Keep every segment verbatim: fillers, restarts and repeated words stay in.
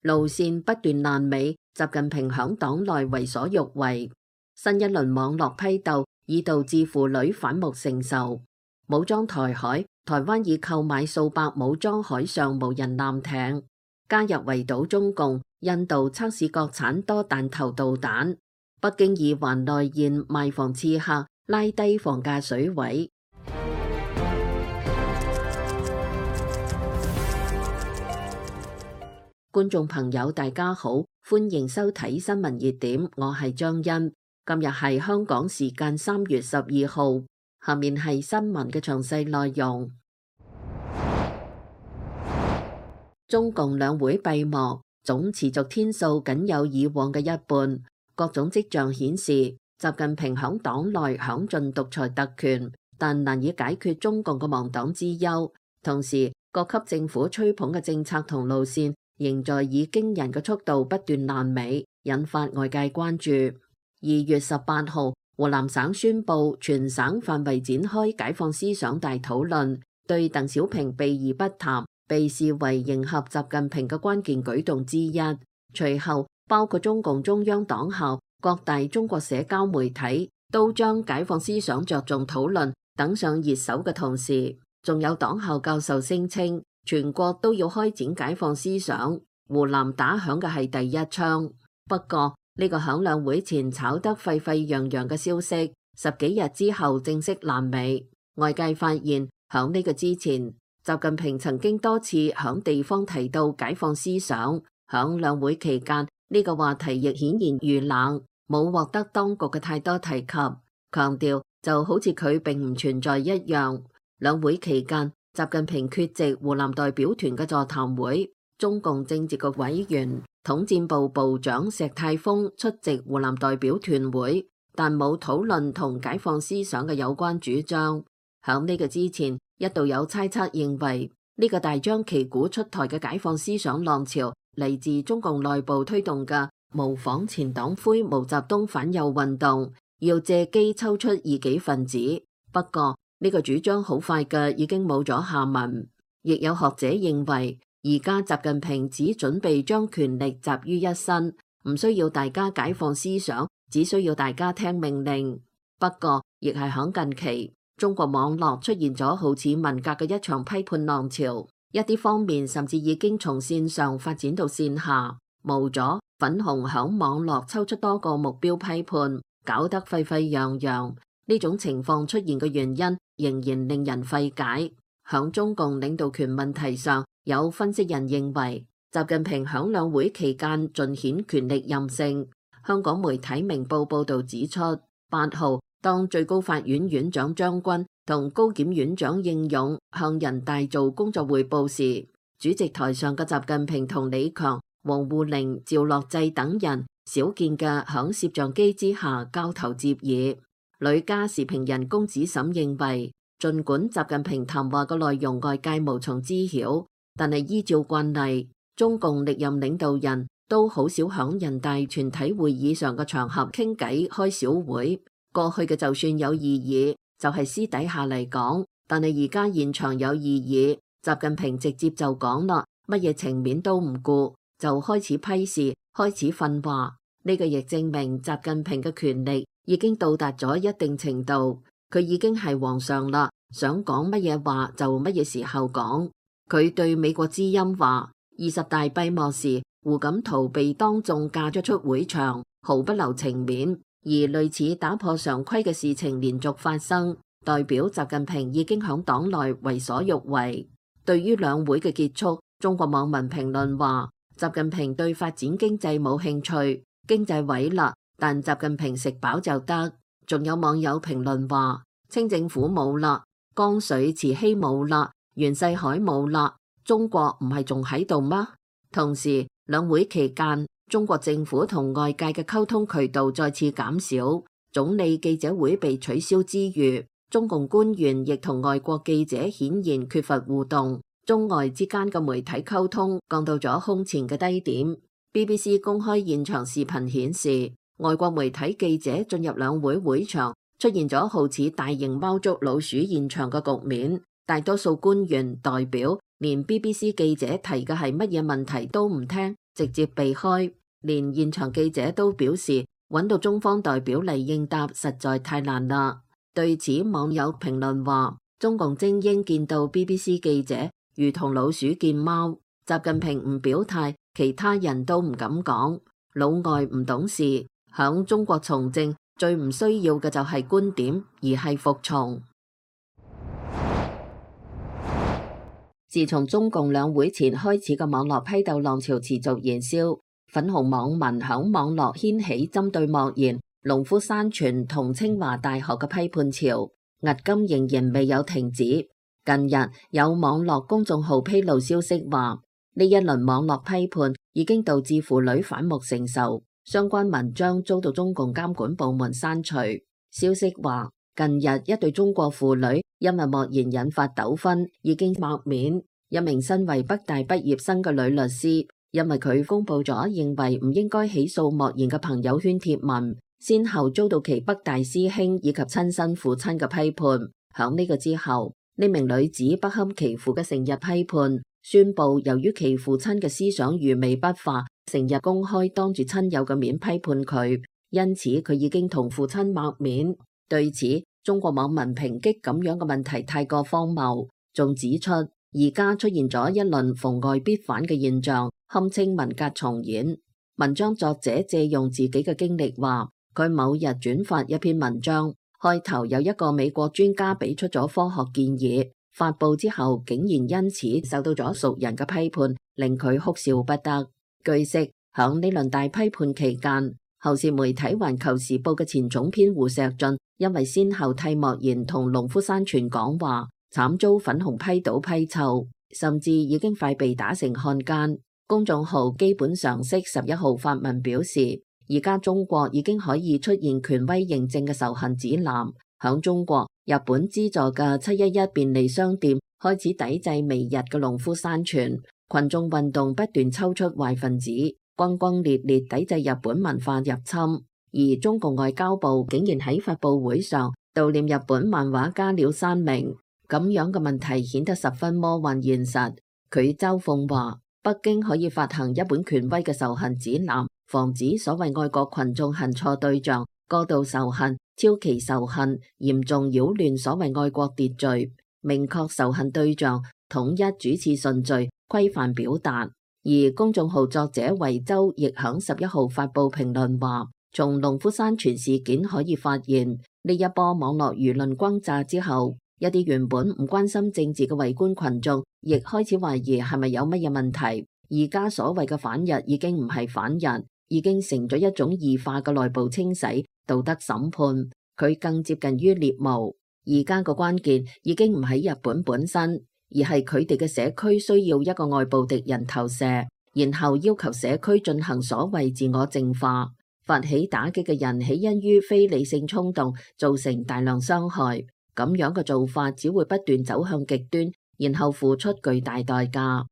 路線不斷爛尾，習近平響黨內為所欲為。新一輪網絡批鬥已導致婦女反目成仇。武裝台海，台灣已購買數百武裝海上無人艦艇，加入圍堵中共。印度測試國產多彈頭導彈。北京以環內現賣房刺客，拉低房價水位。觀眾朋友大家好，歡迎收睇新聞熱點，我係張欣。今日係香港時間三月十二號，下面係新聞嘅詳細內容。中共兩會閉幕，總持續天數僅有以往嘅一半，各種跡象顯示習近平響黨內享盡獨裁特權，但難以解決中共嘅亡黨之憂。同時，各級政府吹捧嘅政策同路線仍在以驚人嘅速度不斷爛尾，引發外界關注。二月十八號，湖南省宣布全省範圍展開解放思想大討論，對鄧小平避而不談被視為迎合習近平嘅關鍵舉動之一。隨後，包括中共中央黨校、各大中國社交媒體都將解放思想着重討論登上熱搜嘅同時，仲有黨校教授聲稱全國都要開展解放思想，湖南打響嘅係第一槍。不過呢個響兩會前炒得沸沸揚揚嘅消息，十幾日之後正式爛尾。外界發現響呢個之前，習近平曾經多次響地方提到解放思想，響兩會期間呢個話題亦顯然遇冷，冇獲得當局嘅太多提及，強調就好似佢並唔存在一樣。兩會期間，習近平缺席湖南代表團嘅座談會，中共政治局委員、統戰部部長石泰峰出席湖南代表團會，但冇討論同解放思想嘅有關主張。響呢個之前，一度有猜測認為呢個大張旗鼓出台嘅解放思想浪潮嚟自中共內部推動嘅模仿前黨魁毛澤東反右運動，要借機抽出異己分子。不過呢個主張好快嘅已經冇咗下文。亦有學者認為，而家習近平只準備將權力集於一身，唔需要大家解放思想，只需要大家聽命令。不過亦係響近期，中國網絡出現咗好似文革嘅一場批判浪潮，一啲方面甚至已經從線上發展到線下。無咗粉紅響網絡抽出多個目標批判，搞得沸沸揚揚。呢種情況出現嘅原因仍然令人費解。響中共領導權問題上，有分析人認為習近平響兩會期間盡顯權力任性。香港媒體明報報道指出，八號當最高法院院長張軍同高檢院長應勇向人大做工作匯報時，主席台上嘅習近平同李強、王滬寧、趙樂際等人少見嘅響攝像機之下交頭接耳。旅家時評人龔子審認為，儘管習近平談話嘅內容外界無從知曉，但係依照慣例，中共歷任領導人都好少響人大全體會議上嘅場合傾偈開小會。過去嘅就算有異議，就係私底下嚟講，但係而家現場有異議，習近平直接就講啦，乜嘢情面都唔顧，就開始批示，開始訓話。呢個亦證明習近平嘅權力已經到達咗一定程度，佢已經係皇上啦，想講乜嘢話就乜嘢時候講。佢對美國之音話，二十大閉幕時，胡錦濤被當眾嫁咗出會場，毫不留情面。而類似打破常規嘅事情連續發生，代表習近平已經響黨內為所欲為。對於兩會嘅結束，中國網民評論話，習近平對發展經濟冇興趣，經濟毀啦，但習近平食飽就得。仲有網友評論話，清政府冇啦，江水慈禧冇啦，袁世凱冇啦，中國唔係仲喺度嗎？同時，兩會期間，中國政府同外界嘅溝通渠道再次減少，總理記者會被取消之餘，中共官員亦同外國記者顯然缺乏互動，中外之間嘅媒體溝通降到咗空前嘅低點。B B C 公開現場視頻顯示，外國媒體記者進入兩會會場，出現咗好似大型貓捉老鼠現場嘅局面，大多數官員代表連 B B C 記者提嘅係乜嘢問題都唔聽，直接避開，連現場記者都表示揾到中方代表嚟應答實在太難啦。對此，網友評論話：中共精英見到 B B C 記者如同老鼠見貓，習近平唔表態，其他人都唔敢講。老外唔懂事，響中國從政最唔需要嘅就係觀點，而係服從。自從中共兩會前開始嘅網絡批鬥浪潮持續燃燒，粉紅網民響網絡掀起針對莫言、農夫山泉同清華大學嘅批判潮，至今仍然未有停止。近日有網絡公眾號披露消息話，呢一輪網絡批判已經導致婦女反目成仇，相關文章遭到中共監管部門刪除。消息話，近日一對中國婦女因為莫言引發糾紛，已經抹面。一名身為北大畢業生嘅女律師，因為佢公布咗認為唔應該起訴莫言嘅朋友圈貼文，先後遭到其北大師兄以及親生父親嘅批判。響呢個之後，呢名女子不堪其父嘅成日批判，宣布由於其父親嘅思想愚昧不化，成日公開當住親友嘅面批判佢，因此佢已經同父親抹面。對此，中國網民抨擊咁樣嘅問題太過荒謬，仲指出而家出現咗一輪逢外必反嘅現象，堪稱文革重演。文章作者借用自己嘅經歷話，佢某日轉發一篇文章，開頭有一個美國專家俾出咗科學建議，發佈之後竟然因此受到咗熟人嘅批判，令佢哭笑不得。據悉，響呢輪大批判期間，後時媒體環球時報嘅前總編胡錫進因為先後替莫言同農夫山泉講話，慘遭粉紅批倒批臭，甚至已經快被打成漢奸。公眾號基本常識十一號發文表示，而家中國已經可以出現權威認證嘅仇恨指南。響中國，日本資助嘅七一一便利商店開始抵制媚日嘅農夫山泉，群眾運動不斷抽出壞分子，轟轟烈烈抵制日本文化入侵。而中共外交部竟然喺發佈會上悼念日本漫畫家鳥山明，咁樣嘅問題顯得十分魔幻現實。佢嘲諷話，北京可以發行一本權威嘅仇恨指南，防止所謂愛國群眾恨錯對象，過度仇恨、超期仇恨，嚴重擾亂所謂愛國秩序，明確仇恨對象，統一主次順序，規範表達。而公眾號作者維州亦響十一號發佈評論話，從農夫山泉事件可以發現，呢一波網絡輿論轟炸之後，一啲原本唔關心政治嘅圍觀群眾，亦開始懷疑係咪有乜嘢問題。而家所謂嘅反日已經唔係反日，已經成咗一種異化嘅內部清洗、道德審判，佢更接近於獵巫。而家個關鍵已經唔喺日本本身，而係佢哋嘅社區需要一個外部敵人投射，然後要求社區進行所謂自我淨化。發起打擊嘅人起因於非理性衝動，造成大量傷害。咁樣嘅做法只會不斷走向極端，然後付出巨大代價。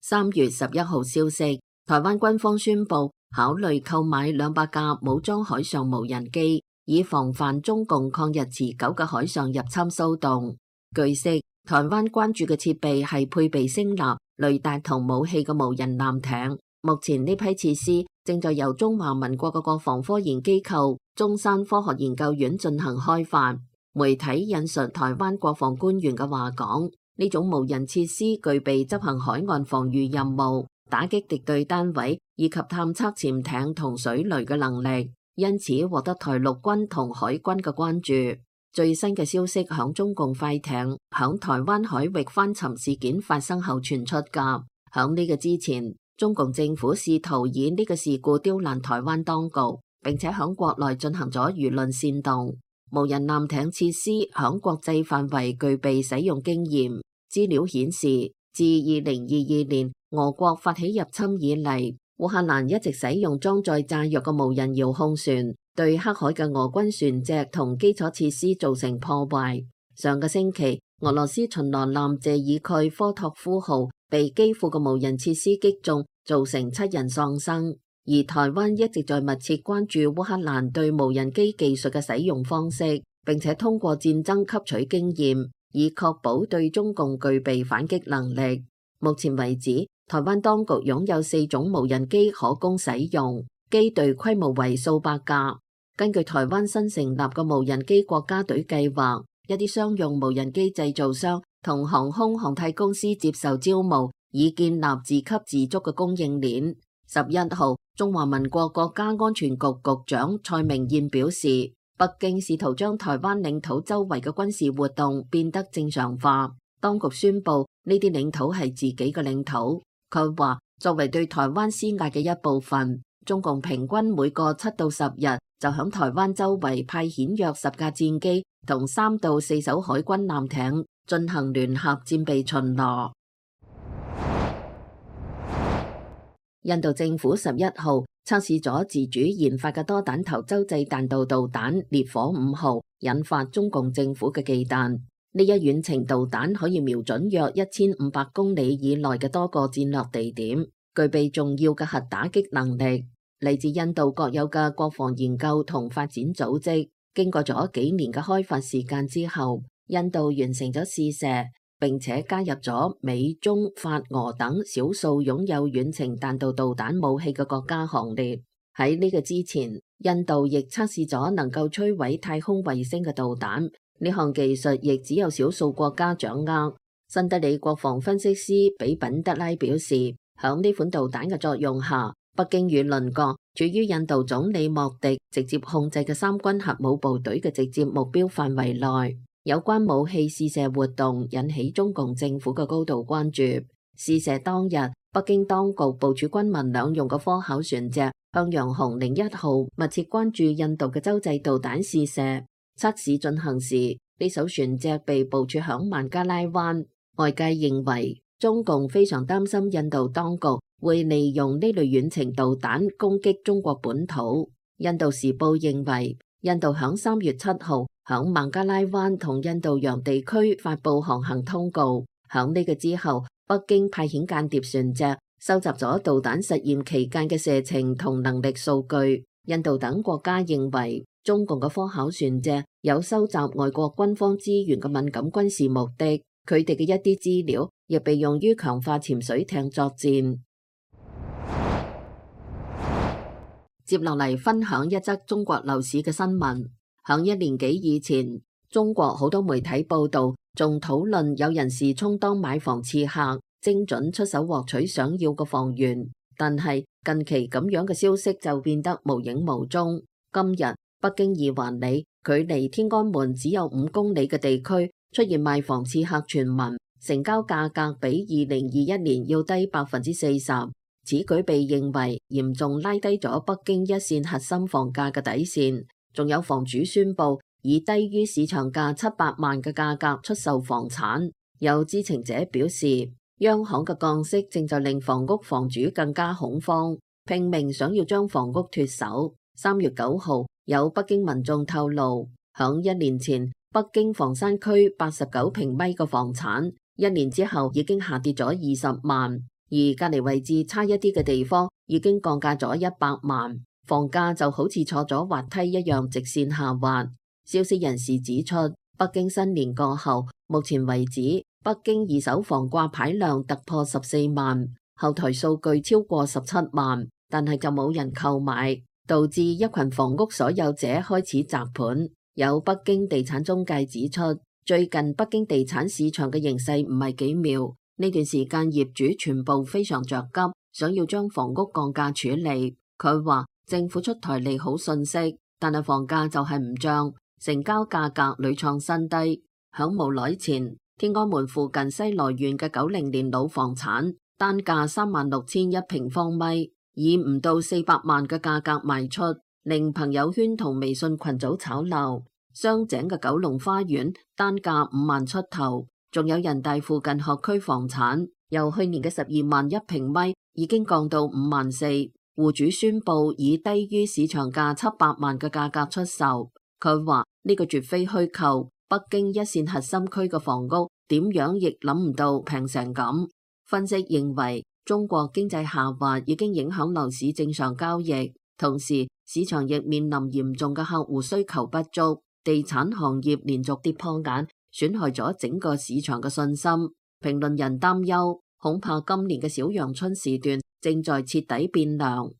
三月十一號消息，台灣軍方宣布考慮購買兩百架武裝海上無人機，以防範中共抗日持久嘅海上入侵騷動。據悉，台灣關注嘅設備係配備聲納、雷達同武器嘅無人艦艇。目前呢批設施正在由中華民國嘅國防科研機構中山科學研究院進行開發。媒體引述台灣國防官員嘅話講，呢種無人設施具備執行海岸防禦任務、打擊敵對單位以及探測潛艇同水雷嘅能力，因此獲得台陸軍同海軍嘅關注。最新嘅消息響中共快艇響台灣海域翻沉事件發生後傳出噶。響呢個之前，中共政府試圖以呢個事故刁難台灣當局，並且響國內進行咗輿論煽動。無人艦艇設施響國際範圍具備使用經驗。資料顯示，自二零二二年俄國發起入侵以嚟，烏克蘭一直使用裝載炸藥嘅無人遙控船，對黑海嘅俄軍船隻同基礎設施造成破壞。上個星期，俄羅斯巡邏艦謝爾蓋科托夫號被基輔嘅無人設施擊中，造成七人喪生。而台灣一直在密切關注烏克蘭對無人機技術嘅使用方式，並且通過戰爭吸取經驗，以確保對中共具備反擊能力。目前為止，台灣當局擁有四種無人機可供使用，機隊規模為數百架。根據台灣新成立嘅無人機國家隊計劃，一啲商用無人機製造商同航空航太公司接受招募，以建立自給自足嘅供應鏈。十一號，中華民國國家安全局局長蔡明彥表示，北京試圖將台灣領土周圍嘅軍事活動變得正常化。當局宣布呢啲領土係自己嘅領土。佢話，作為對台灣施壓嘅一部分，中共平均每個七到十日就響台灣周圍派遣約十架戰機同三到四艘海軍艦艇進行聯合戰備巡邏。印度政府十一號測試咗自主研發嘅多彈頭洲際彈道導彈烈火五號，引發中共政府嘅忌憚。呢一遠程導彈可以瞄準約一千五百公里以內嘅多個戰略地點，具備重要嘅核打擊能力。嚟自印度國有嘅國防研究同發展組織，經過咗幾年嘅開發時間之後，印度完成咗試射，並且加入咗美、中、法、俄等少數擁有遠程彈道導彈武器嘅國家行列。喺呢個之前，印度亦測試咗能夠摧毀太空衛星嘅導彈，呢項技術亦只有少數國家掌握。新德里國防分析師比品德拉表示，響呢款導彈嘅作用下，北京與鄰國處於印度總理莫迪直接控制嘅三軍核武部隊嘅直接目標範圍內。有關武器試射活動引起中共政府嘅高度關注。試射當日，北京當局部署軍民兩用嘅科考船隻向陽紅零一號密切關注印度嘅洲際導彈試射。測試進行時，呢艘船隻被部署響孟加拉灣。外界認為中共非常擔心印度當局會利用呢類遠程導彈攻擊中國本土。印度時報認為，印度響三月七號響孟加拉灣同印度洋地區發布航行通告。響呢個之後，北京派遣間諜船隻收集咗導彈實驗期間嘅射程同能力數據。印度等國家認為，中共嘅科考船隻有收集外國軍方資源嘅敏感軍事目的，佢哋嘅一啲資料亦被用於強化潛水艇作戰。接落嚟分享一則中國樓市嘅新聞。響一年幾以前，中國好多媒體報道，仲討論有人士充當買房刺客，精準出手獲取想要嘅房源。但係近期咁樣嘅消息就變得無影無蹤。今日北京二環里距離天安門只有五公里嘅地區出現賣房刺客傳聞，成交價格比二零二一年要低百分之四十。此舉被認為嚴重拉低咗北京一線核心房價嘅底線。仲有房主宣布以低於市場價七百萬嘅價格出售房產。有知情者表示，央行嘅降息正在令房屋房主更加恐慌，拼命想要將房屋脫手。三月九號，有北京民眾透露，響一年前北京房山區八十九平米嘅房產，一年之後已經下跌咗二十萬，而隔離位置差一啲嘅地方已經降價咗一百萬。房價就好似坐咗滑梯一樣直線下滑。消息人士指出，北京新年過後，目前為止，北京二手房掛牌量突破十四萬，後台數據超過十七萬，但係就冇人購買，導致一群房屋所有者開始砸盤。有北京地產中介指出，最近北京地產市場嘅形勢唔係幾妙，呢段時間業主全部非常着急，想要將房屋降價處理。佢話政府出台利好信息，但係房價就係唔漲，成交價格屢創新低。響無耐前，天安門附近西來縣嘅九零年老房產，單價三萬六千一平方米，以唔到四百萬嘅價格賣出，令朋友圈同微信群組炒鬧。雙井嘅九龍花園單價五萬出頭，仲有人大附近學區房產，由去年嘅十二萬一平米已經降到五萬四。戶主宣布以低於市場價七百萬嘅價格出售。佢話呢個絕非虛構，北京一線核心區嘅房屋點樣亦諗唔到平成咁。分析認為，中國經濟下滑已經影響樓市正常交易，同時市場亦面臨嚴重嘅客戶需求不足，地產行業連續跌破眼，損害咗整個市場嘅信心。評論人擔憂，恐怕今年嘅小陽春時段正在徹底變涼。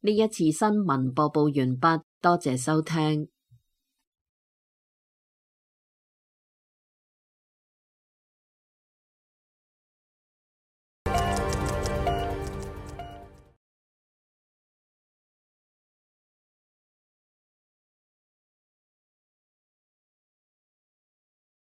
呢一次新聞播報完畢，多謝收聽。